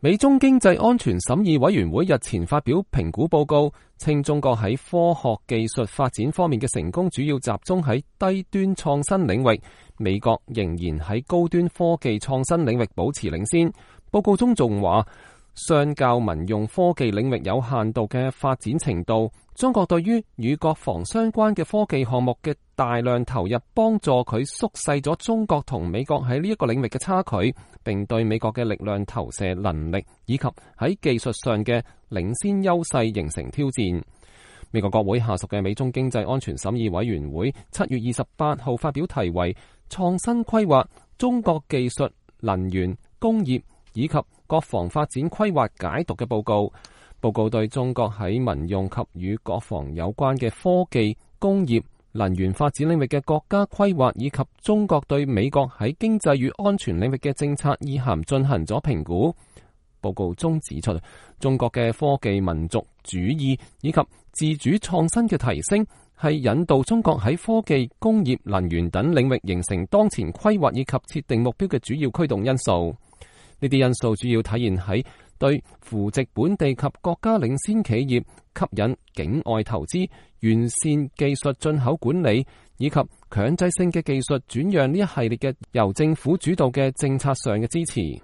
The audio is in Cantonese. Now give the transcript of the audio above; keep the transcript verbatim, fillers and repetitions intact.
美中經濟安全審議委員會日前發表評估報告，稱中國喺科學技術發展方面嘅成功主要集中喺低端創新領域，美國仍然喺高端科技創新領域保持領先。報告中仲話，相較民用科技領域有限度嘅發展程度，中國對於與國防相關嘅科技項目嘅大量投入，幫助佢縮細咗中國同美國喺呢一個領域嘅差距，並對美國嘅力量投射能力以及喺技術上嘅領先優勢形成挑戰。美國國會下屬嘅美中經濟安全審議委員會七月二十八號發表題為《創新規劃：中國技術、能源、工業以及國防發展規劃解讀》嘅報告。報告對中國喺民用及與國防有關嘅科技、工業、能源發展領域嘅國家規劃，以及中國對美國喺經濟與安全領域嘅政策意涵進行咗評估。報告中指出，中國嘅科技民族主義以及自主創新嘅提升，係引導中國喺科技、工業、能源等領域形成當前規劃以及設定目標嘅主要驅動因素。呢啲因素主要體現喺對扶植本地及國家領先企業、吸引境外投資、完善技術進口管理以及強制性嘅技術轉讓呢一系列嘅由政府主導嘅政策上嘅支持。